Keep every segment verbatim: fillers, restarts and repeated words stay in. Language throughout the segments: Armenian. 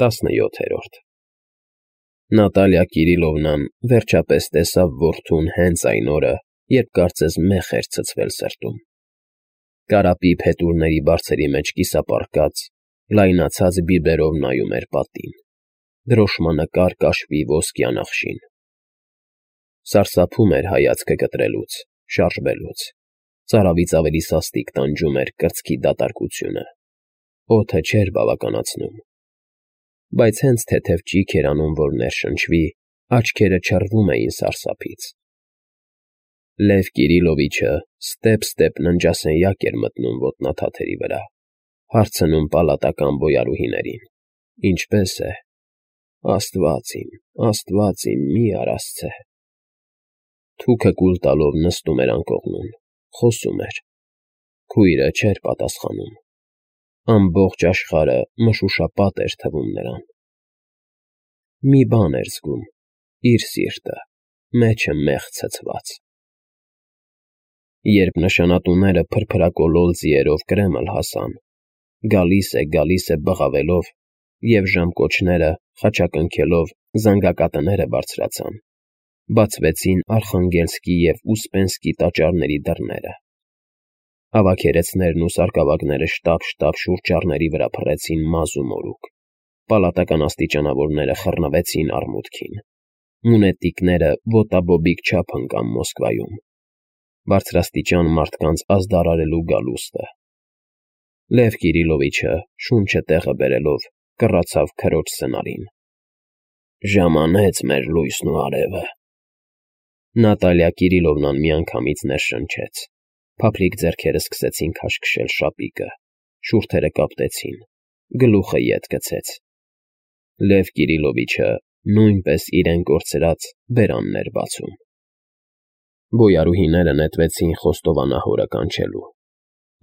Տասնյոթերորդ Նատալիա Կիրիլովնան վերջապես տեսավ որդուն հենց այն օրը, երբ կարծես մեխ էր ցցվել սրտում. կարապի փետուրների բարձերի մեջ կիսապառկած, լայնացած բիբերով նայում էր պատին, դրոշմանկար կաշվի ոսկյա նախշին. սարսափում էր հայացքը կտրելուց, շարժվելուց, ծարավից ավելի սաստիկ տանջում էր կրծքի դատարկությունը, օդը չէր բավականացնում, բայց հենց թեթև ճիգ էր անում, որ ներշնչվի, աչքերը չռվում էին սարսափից. Լև Կիրիլովիչը ստեպ-ստեպ ննջասենյակ էր մտնում ոտնաթաթերի վրա, հարցնում պալատական բոյարուհիներին. ինչպե՞ս է, աստված իմ, աստված իմ, մի արասցե… Թուքը կուլ տալով նստում էր անկողնում, խոսում էր, քույրը չէր պատասխանում, ամբողջ աշխարհը մշուշապատ էր թվում նրան… Մի բան էր զգում, իր սիրտը, մեջը մեղ ցցված… Երբ նշանատուները փրփրակոլոլ ձիերով Կրեմլ հասան, գալիս է, գալիս է բղավելով, և ժամկոչները, խաչակնքելով, զանգակատները բարձրացան, բացվեցին Արխանգելսկի և Ուսպենսկի տաճարների դռները, ավագերեցներն ու սարկավագները շտապ֊շտապ շուրջառների վրա փռեցին մազ ու մորուք, պալատական աստիճանավորները խռնվեցին արմուտքին, մունետիկները ոտաբոբիկ չափ ընկան Մոսկվայում, բարձրաստիճան մարդկանց ազդարարելու գալուստը… Լև Կիրիլովիչը, շունչը տեղը բերելով, կռացավ քրոջ սնարին. «Ժամանեց մեր լույսն ու արևը»… Նատալիա Կիրիլովնան միանգամից ներշնչեց, փափլիկ ձեռքերը սկսեցին քաշքշել շապիկը, շուրթերը կապտեցին, գլուխը ետ գցեց… Լև Կիրիլովիչը նույնպես իրեն կորցրած բերանն էր բացում… Բոյարուհիները նետվեցին խոստովանահորը կանչելու,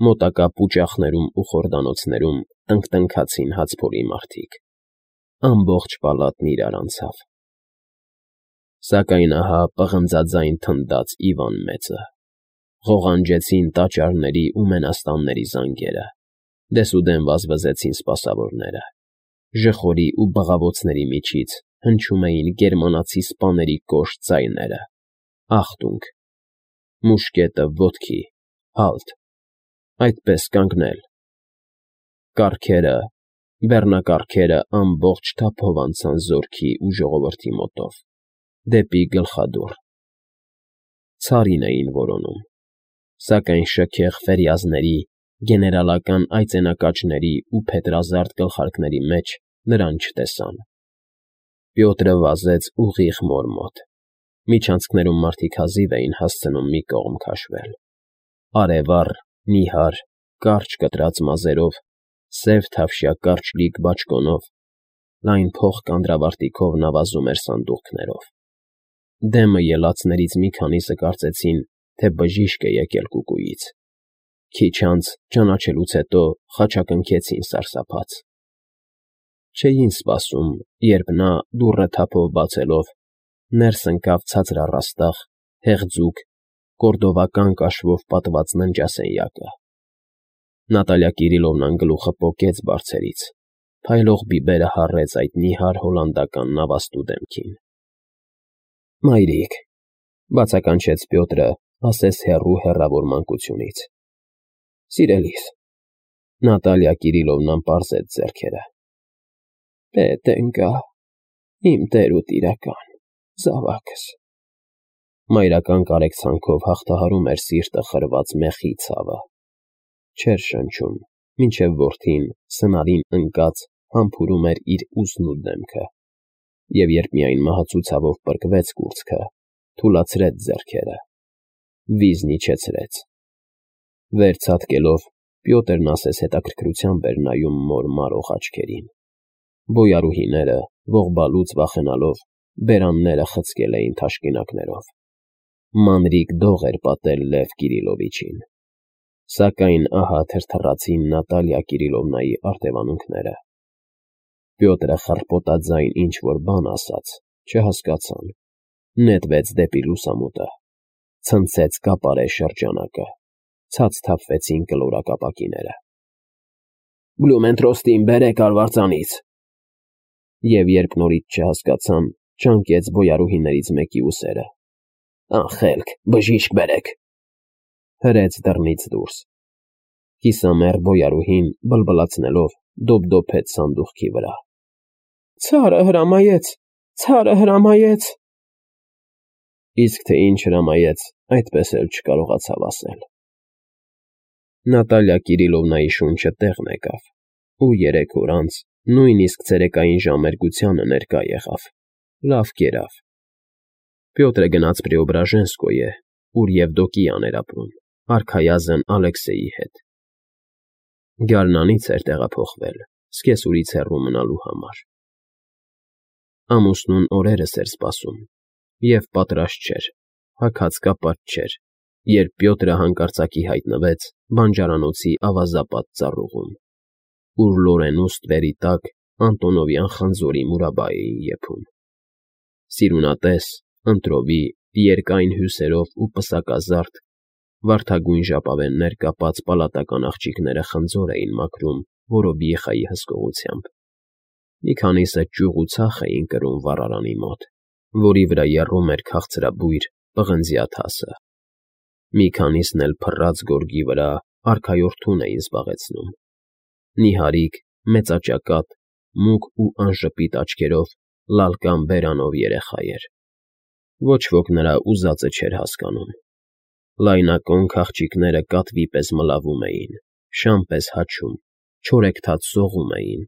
մոտակա պուճախներում ու խորդանոցներում տնկտնքացին հացփորի մարդիկ… Ամբողջ պալատն իրար անցավ… Սակայն ահա պղնձաձայն թնդաց Իվան մեծը… Ղողանջեցին տաճարների ու մենաստանների զանգերը, դեսուդեն վազվզեցին սպասավորները, ժխորի ու բղավոցների միջից հնչում էին գերմանացի սպաների կոշտ ձայները. «Ախտունգ», «Մուշկետը ոտքի», «Հալթ», «Այդպես կանգնել»… Կառքերը, բեռնակառքերը ամբողջ թափով անցան զորքի ու ժողովրդի մոտով, դեպի գլխադուռ… Ցարին էին որոնում, սակայն շքեղ ֆերյազների, գեներալական այծենակաճների ու փետրազարդ գլխարկների մեջ նրան չտեսան… Պյոտրը վազեց ուղիղ մոր մոտ, միջանցքներում մարդիկ հազիվ էին հասցնում մի կողմ քաշվել… Արևառ, նիհար, կարճ կտրած մազերով, սև թավշյա կարճլիկ բաճկոնով, լայն փող կանդրավարտիքով նա վազում էր սանդուղքներով… Դեմը ելածներից մի քանիսը կարծեցին, թե բժիշկ է եկել կուկուից… Քիչ անց, ճանաչելուց հետո, խաչակնքեցին սարսափած… Չէին սպասում, երբ նա, դուռը թափով բացելով, ներս ընկավ ցածր առաստաղ, հեղձուկ, կորդովական կաշվով պատված ննջասենյակը… Նատալիա Կիրիլովնան գլուխը պոկեց բարձերից, փայլող բիբերը հառեց այդ նիհար հոլանդական նավաստու դեմքին… Մայրիկ…֊ բացականչեց Պյոտրը ասես հեռու հեռավոր մանկությունից… Սիրելիս… Նատալիա Կիրիլովնան պարզեց ձեռքերը… Պետք ընկա… իմ տեր ու տիրակալ… զավակս… Մայրական կարեկցանքով հաղթահարում էր սիրտը խրված մեղի ցավը… Չէր շնչում, մինչև որդին, սնարին ընկած, համբուրում էր իր ուսն ու դեմքը, և երբ միայն մահացու ցավով պրկվեց կուրծքը, թուլացրեց ձեռքերը, վիզն իջեցրեց… Վեր ցատկելով, Պյոտրն ասես հետաքրքրությամբ էր նայում մոր մարող աչքերին… Բոյարուհիները, ողբալուց վախենալով, բերանները խցկել էին թաշկինակներով… Մանրիկ դող էր պատել Լև Կիրիլովիչին… Սակայն ահա թրթռացին Նատալիա Կիրիլովնայի արտևանունքները… Պյոտրը խռպոտաձայն ինչ֊որ բան ասաց, չհասկացան, նետվեց դեպի լուսամուտը, ցնցեց կապարե շրջանակը, ցած թափվեցին կլորակ ապակիները… Բլումենթրոստին բերեք արվածանից… Եվ երբ նորից չհասկացան, ճանկեց բոյարուհիներից մեկի ուսերը։ Անխելք, բժիշկ բերեք, հրեց դռնից դուրս։ Կիսամեռ բոյարուհին բլբլացնելով դոփդոփեց սանդուղքի վրա։ Ցարը հրամայեց, ցարը հրամայեց։ Իսկ թե ինչ հրամայեց, այդպես էլ չկարողացավ ասել։ Նատալիա Կիրիլովնայի շունչը տեղն եկավ, ու երեք օր անց նույնիսկ ցերեկային ժամերգությանը ներկա եղավ, լավ կերավ։ Պյոտրը գնաց Պրեոբրաժենսկոյե, ուր Եվդոկիան էր ապրում, արքայազն Ալեքսեյի հետ։ Գարնանից էր տեղափոխվել, սկեսուրից հեռու մնալու համար։ Ամուսնուն օրերս էր սպասում, և պատրաստ չէր, հագած-կապած չէր, երբ Պյոտրը հանկարծակի հայտնվեց բանջարանոցի ավազապատ ծառուղում, ուր լորենու ստվերի տակ Անտոնովյան խնձորի մուրաբա էին եփում։ Սիրունատես, ընտրովի, երկայն հյուսերով ու պսակազարդ, վարդագույն ժապավեններ կապած պալատական աղջիկները խնձոր էին մաքրում Որոբիեխայի հսկողությամբ։ Մի քանիսը ճյուղ ու ցախ էին կրում վառարանի մոտ, որի վրա եռում էր քաղցրաբույր պղնձյա թասը։ Մի քանիսն էլ փռած գորգի վրա արքայորդուն էին զբաղեցնում։ Նիհարիկ, մեծաճակատ, մուգ ու անժպիտ աչքերով լալկան բերանով երեխա էր։ Ոչ ոք նրա ուզածը չէր հասկանում։ Լայնակոնք աղջիկները կատվի պես մլավում էին, շան պես հաչում, չորեքթաթ սողում էին,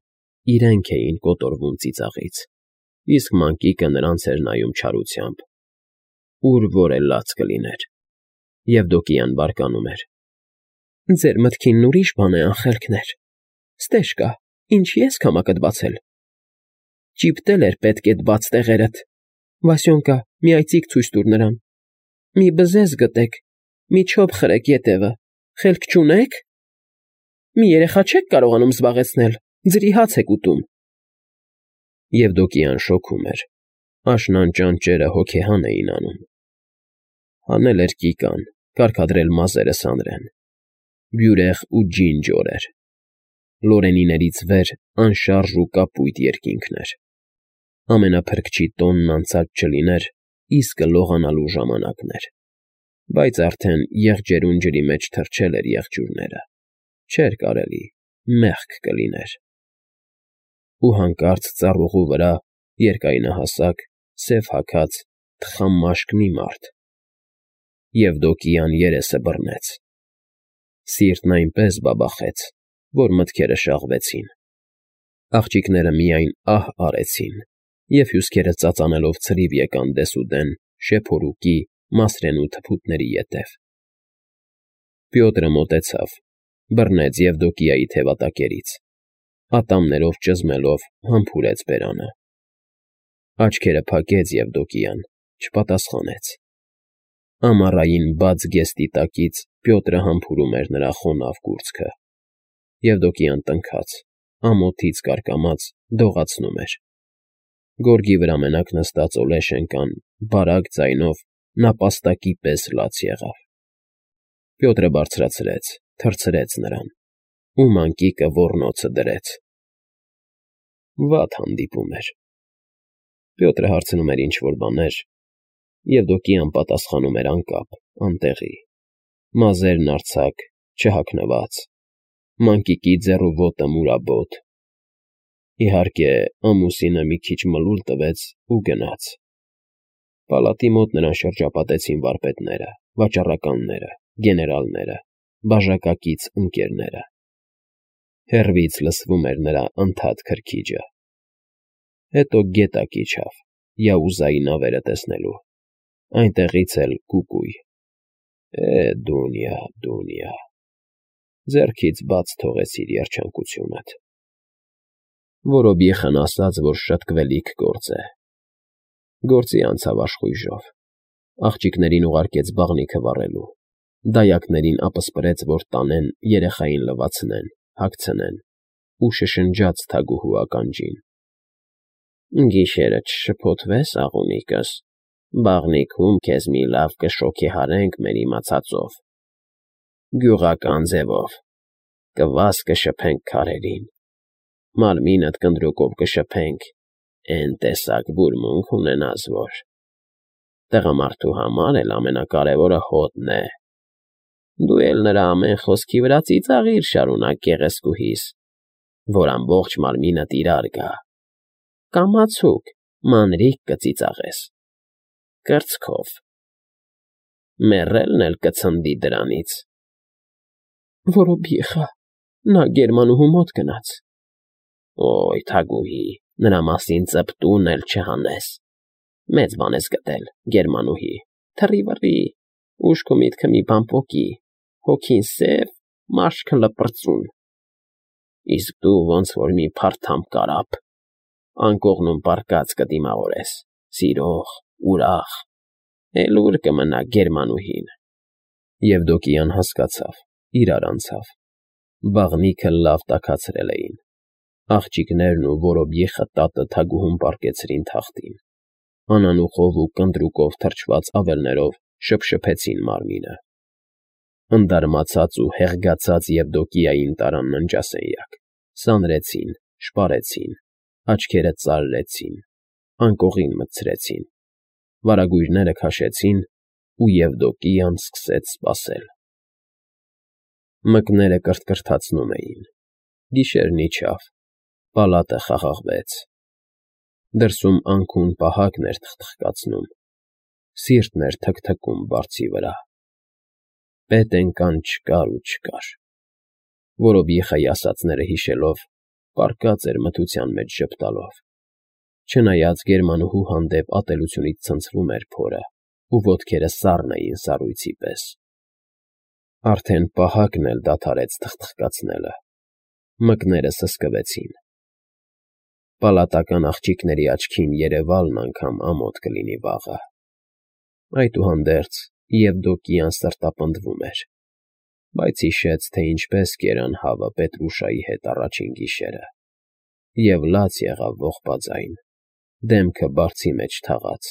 իրենք էին կոտորվում ծիծաղից, իսկ մանկիկը նրանց էր նայում չարությամբ։ Ուր որ էլ լաց կլիներ։ Եվդոկիան բարկանում էր. Ձեր մտքինն ուրիշ բան է, անխելքներ։ Ստեժկա, ինչի ես քամակդ բացել։ Ճիպտել էր պետք էդ բաց տեղերդ։ Վասյոնկա, մի այծիկ ցույց տուր նրան։ Մի բզեզ գտեք, մի չոփ խրեք ետևը, խելք չունե՞ք։ Մի երեխա չեք կարողանում զբաղեցնել, ձրի հաց եք ուտում։ Եվդոկիան շոքում էր, աշնան ճանճերը հոգեհան էին անում։ Հանել էր կիկան, կարգադրել մազերը սանրեն։ Բյուրեղ ու ջինջոր էր։ Լորենիներից վեր անշարժ ու կապույտ երկինքն էր։ Ամենափրկչի տոնն անցած չլիներ, իսկը լողանալու ժամանակն էր։ Բայց արդեն եղջերուն ջրի մեջ թռչել էր եղջյուրները։ Չէր կարելի, մեղք կլիներ։ Ու հանկարծ ծառուղու վրա երկայնահասակ, սև հագած, թխամաշկ մի մարդ։ Եվդոկիան երեսը բռնեց։ Սիրտն այնպես բաբախեց, որ մտքերը շաղվեցին։ Աղջիկները միայն ահ արեցին, և հյուսքերը ծածանելով ցրիվ եկան դեսուդեն շեփորուկի, մասրենու թփուտների ետև։ Պյոտրը մոտեցավ, բռնեց Եվդոկիայի թևատակերից, ատամներով ճզմելով համբուրեց բերանը։ Աչքերը փակեց Եվդոկիան, չպատասխանեց։ Ամառային բաց գեստի տակից Պյոտրը համբուրում էր նրա խոնավ կուրծքը։ Եվդոկիան տնքաց, ամոթից կարկամած դողացնում էր։ Գորգի վրա մենակ նստած Օլեշենկան բարակ ձայնով նապաստակի պես լաց եղավ։ Պյոտրը բարձրացրեց, թռցրեց նրան, ու մանկիկը ոռնոցը դրեց։ Վատ հանդիպում էր։ Պյոտրը հարցնում էր ինչ-որ բաներ, Եվդոկիան պատասխանում էր անկապ, անտեղի, մազերն արձակ, չհագնված, մանկիկի ձեռու ոտը մուրաբոտ։ Իհարկե, ամուսինը մի քիչ մլուլ տվեց ու գնաց։ Պալատի մոտ նրան շրջապատեցին վարպետները, վաճառականները, գեներալները, բաժակակից ընկերները։ Հեռվից լսվում էր նրա ընդհատ քրքիջը։ Հետո գետակ իջավ, Յաուզայի նավերը տեսնելու։ Այնտեղից էլ կուկույ։ Է, Դունյա, Դունյա, ձեռքից բաց թողեցիր երջանկությունդ։ Որոբիեխան ասաց, որ շտկվելիք գործ է։ Գործի անցավ աշխույժով։ Աղջիկներին ուղարկեց բաղնիքը վառելու, դայակներին ապսպրեց, որ տանեն, երեխային լվացնեն, հագցնեն, ու շշնջաց թագուհու ականջին. Գիշերը չշփոթվես, աղունիկս, բաղնիքում քեզ մի լավ կշոգեհարենք մեր իմացածով, գյուղական ձևով, կվաս կշփենք քարերին, մարմինդ կնդրուկով կշփենք, էն տեսակ բուրմունք ունենաս, որ տղամարդու համար էլ ամենակարևորը հոտն է։ Դու էլ նրա ամեն խոսքի վրա ծիծաղիր շարունակ գեղեցկուհիս, որ ամբողջ մարմինդ իրար գա, կամացուկ, մանրիկ կծիծաղես, կրծքով, մեռելն էլ կցնդի դրանից։ Որոբիեխա, նա գերմանուհու մոտ գնաց։ Օյ, թագուհի, նրա մասին ծպտուն էլ չհանես, մեծ բան ես գտել, գերմանուհի, թռի֊վռի, ուշք ու միտքը մի բան պոկի, հոգին սև, մաշկը լպրծուն, իսկ դու ոնց որ մի փարթամ կարապ, անկողնում պառկած կդիմավորես, սիրող, ուրախ, էլ ուր կմնա գերմանուհին։ Եվդոկիան հասկացավ, իրար անցավ, բաղնիքը լավ տաքացրել էին, աղջիկներն ու որոբիեխը տատը թագուհուն պառկեցրին թախտին, անանուխով ու կնդրուկով թրջված ավերներով շփշփեցին մարմինը, ընդարմացած ու հեղգացած Եվդոկիային տարան ննջասենյակ, սանրեցին, շպարեցին, աչքերը ծարրեցին, անկողին մտցրեցին, վարագույրները քաշեցին ու Եվդոկիան սկսեց սպասել։ Մկները կրթկրթացնում էին, գիշերն իջավ, պալատը խաղաղվեց, դրսում անքուն պահակն էր թխթխկացնում, սիրտն էր թքթքում բարձի վրա, պետ էնկան չկար ու չկար, որոբիեխայի ասածները հիշելով, պառկած էր մթության մեջ ժպտալով, չնայած գերմանուհու հանդեպ ատելությունից ցնցվում էր փորը ու ոտքերը սառն էին սառույցի պես։ Արդեն պահակն էլ դադարեց թխթխկացնելը, մկները սսկվեցին, պալատական աղջիկների աչքին երևալն անգամ ամոթ կլինի վաղը։ Այդուհանդերձ Եվդոկիան սրտապնդվում էր, բայց հիշեց, թե ինչպես կերան հավը Պետրուշայի հետ առաջին գիշերը, և լաց եղավ ողբաձայն, դեմքը բարձի մեջ թաղած,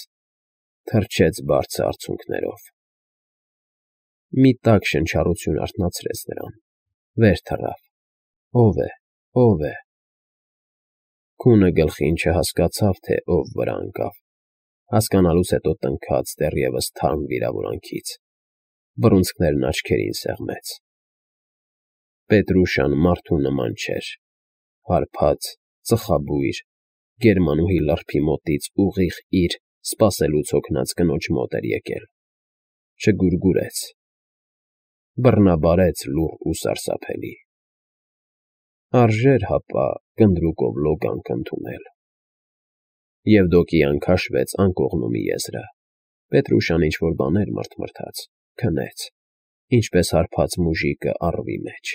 թրջեց բարձը արցունքներով։ Մի տաք շնչառություն արթնացրեց նրան, վեր թռավ, ո՞վ է, ո՞վ է։ Քունը գլխին չհասկացավ, թե ով վրա ընկավ, հասկանալուց հետո տնքաց դեռևս թարմ վիրավորանքից, բռունցքներն աչքերին սեղմեց։ Պետրուշան մարդու նման չէր, հարբած, ծխաբույր, գերմանուհի լրբի մոտից ուղիղ իր սպասելուց հոգնած կնոջ մոտ էր եկել, չգուրգուրեց, բռնաբարեց լուռ ու սարսափելի։ Արժեր հապա կնդրուկով լոգանք ընդունել։ Եվդոկիան քաշվեց անկողնումի եզրը, Պետրուշան ինչ-որ բաներ մրթմրթաց, քնեց, ինչպես հարբած մուժիկը առվի մեջ։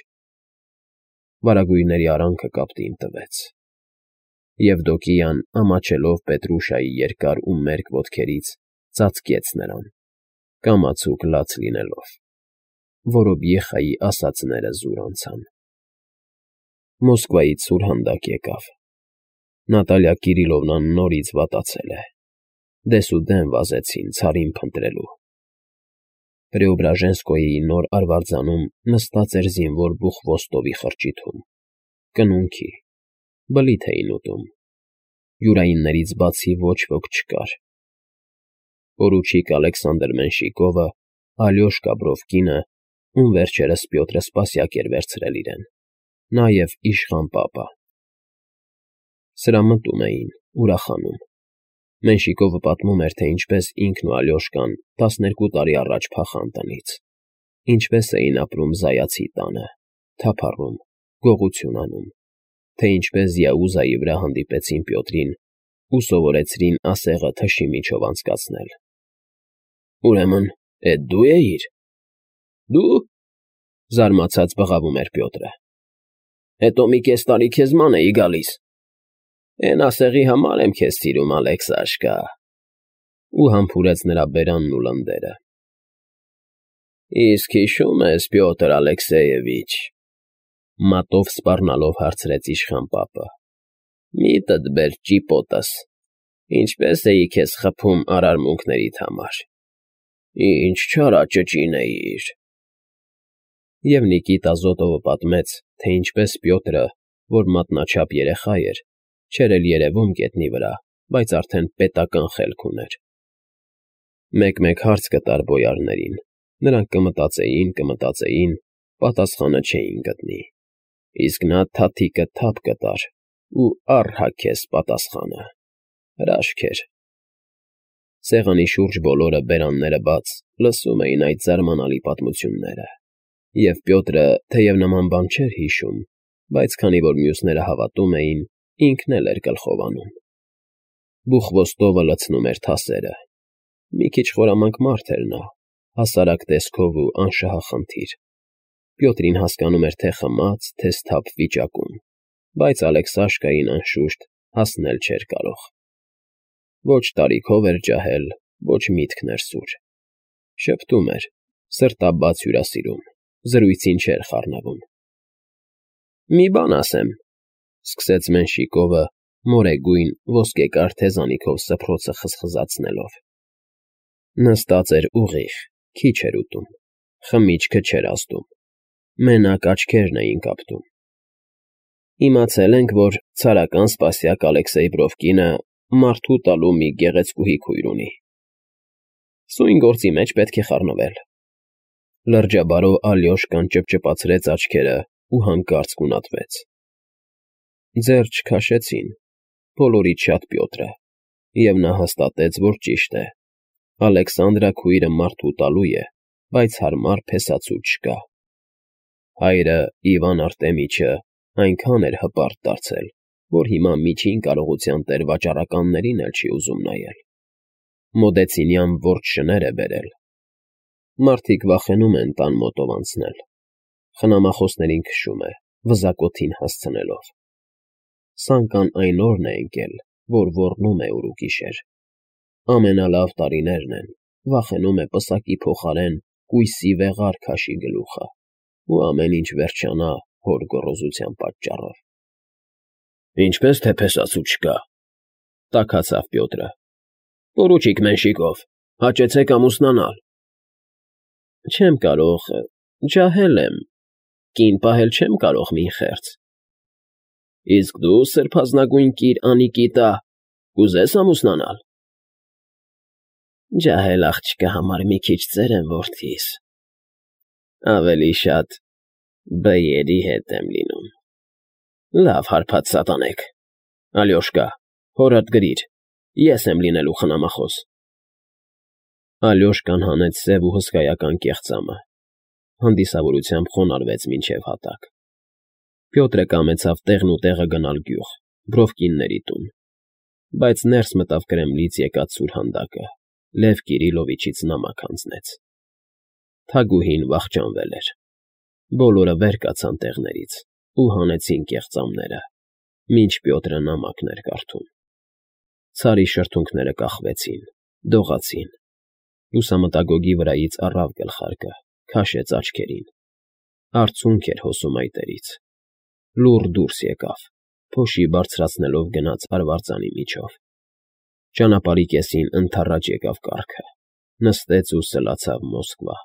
Վարագույրների արանքը կապտին տվեց։ Եվդոկիան, ամաչելով Պետրուշայի երկար ու մերկ ոտքերից, ծածկեց նրան, կամացուկ լաց լինելով, որոբիեխայի ասածները զուր անցան։ Մոսկվայից սուրհանդակ եկավ։ Նատալիա Կիրիլովնան նորից վատացել է, դեսուդեն վազեցին ցարին փնտրելու։ Պրեոբրաժենսկոյի նոր արվարձանում նստած էր զինվոր Բուխվոստովի խրճիթում, կնունքի, բլիթ էին ուտում, յուրայիններից բացի ոչ ոք չկար։ Պորուչիկ Ալեքսանդր Մենշիկովը, Ալյոշկա Բրովկինը, ում վերջերս Պյոտրը Սպասյակ էր վերցրել իրեն, նաև իշխան պապը։ Սրա մտում էին, ուրախանում։ Մենշիկովը պատմում էր, թե ինչպես ինքն ու Ալյոշկան տասներկու տարի առաջ փախան տնից, ինչպես էին ապրում Զայացի տանը, թափառում, գողություն անում, թե ինչպես Յաուզայի վրա հանդիպեցին Պյոտրին ու սովորեցրին ասեղը թշի միջով անցկացնել։ Ուրեմն, էդ դու էիր։ Դու, զարմացած բղավում էր Պյոտրը։ Հետո մի կես տարի քեզ ման էի գալիս։ Էն ասեղի համար եմ քեզ սիրում, Ալեքսաշկա, ու համբուրեց նրա բերանն ու լնդերը։ Իսկ հիշո՞ւմ ես, Պյոտր Ալեքսեևիչ, մատով սպառնալով հարցրեց իշխան պապը։ Միտդ բեր ճիպոտս, ինչպես էի քեզ խփում արարմունքներիդ համար։ Ինչ չարաճճին էիր։ Եվ Նիկիտա Զոտովը պատմեց, թե ինչպես Պյոտրը, որ մատնաչափ երեխա էր, չէր էլ երևում գետնի վրա, բայց արդեն պետական խելք ուներ։ Մեկ-մեկ հարց կտար բոյարներին, նրանք կմտածեին, կմտածեին, պատասխանը չէին գտնի, իսկ նա թաթիկը թափ կտար ու առհագեստ պատասխանը, հրաշք էր։ Սեղանի շուրջ բոլորը, բերանները բաց, լսում էին այդ զարմանալի պատմությունները, և Պյոտրը, թեև նման բան չէր հիշում, բայց քանի որ մյուսները հավատում էին, ինքն էլ էր գլխով անում։ Բուխվոստովը լցնում էր թասերը։ Մի քիչ խորամանկ մարդ էր նա, հասարակ տեսքով ու անշահախնդիր։ Պյոտրին հասկանում էր թե խմած, թե սթափ վիճակում, բայց Ալեքսաշկային, անշուշտ, հասնել չէր կարող։ Ոչ տարիքով էր ջահել, ոչ միտքն էր սուր։ Շփթում էր, սրտաբաց հյուրասիրում, զրույցին չէր խառնվում։ «Մի բան ասեմ», ֊ սկսեց Մենշիկովը, մորեգույն ոսկեկար թեզանիքով սփռոցը խզխզացնելով։ Նստած էր ուղիղ, քիչ էր ուտում, խմիչքը չէր ազդում, մենակ աչքերն էին կապտում։ «Իմացել ենք, որ ցարական սպասյակ Ալեքսեյ Բրովկինը մարդու տալու մի գեղեցկուհի քույր ունի։ Սույն գործի մեջ պետք է խառնվել»։ Լրջաբարով Ալյոշկան ճպճպացրեց աչքերը ու հանկարծ գունատվեց։ Ձեռ չքաշեցին, բոլորից շատ Պյոտրը, և նա հաստատեց, որ ճիշտ է։ Ալեքսանդրա քույրը մարդու տալու է, բայց հարմար փեսացու չկա։ Հայրը, Իվան Արտեմիչը, այնքան էր հպարտ դարձել, որ հիմա միջին կարողության տեր վաճառականներին էլ չի ուզում նայել։ Մոդեցինյան որջ շներ է բերել։ Մարդիկ վախենում են տան մոտով անցնել։ Խնամախոսներին քշում է, վզակոթին հասցնելով։ Սանկան այն օրն է ընկել, որ ոռնում է ուր ու գիշեր։ Ամենալավ տարիներն են, վախենում է պսակի փոխարեն կույսի վեղար քաշի գլուխը, ու ամեն ինչ վերջանա հոր գոռոզության պատճառով։ «Ինչպես թե փեսացու չկա», ֊ տաքացավ Պյոտրը։ «Պորուչիկ Մենշիկով, հաճեցեք ամուսնանալ»։ «Չեմ կարող, ջահել եմ, կին պահել չեմ կարող մին խեղճ»։ «Իսկ դու, սրբազնագույն կիր Անիկիտա, կուզես ամուսնանալ»։ «Ջահել աղջկա համար մի քիչ ծեր եմ, որդիս, ավելի շատ բեյերի հետ եմ լինում։ Լավ հարբած սատանեք, Ալյոշկա, հորդ գրիր, ես եմ լինելու խնամախոս»։ Ալյոշկան հանեց սև ու հսկայական կեղծամը, հանդիսավորությամբ խոնարհվեց մինչև հատակ։ Պյոտրը կամեցավ տեղն ու տեղը գնալ գյուղ, Բրովկինների տուն, բայց ներս մտավ Կրեմլից եկած սուրհանդակը, Լև Կիրիլովիչից նամակ հանձնեց։ Թագուհին վախճանվել էր։ Բոլորը վեր կացան տեղներից ու հանեցին կեղծամները, մինչ Պյոտրը նամակն էր կարդում։ Ցարի շրթունքները կախվեցին, դողացին։ Լուսամտագոգի վրայից առավ գլխարկը, քաշեց աչքերին։ Արցունք էր հոսում այտերից։ Լուռ դուրս եկավ, փոշի բարձրացնելով գնաց արվարձանի միջով։ Ճանապարհի կեսին ընդառաջ եկավ կառքը, նստեց ու սլացավ Մոսկվա։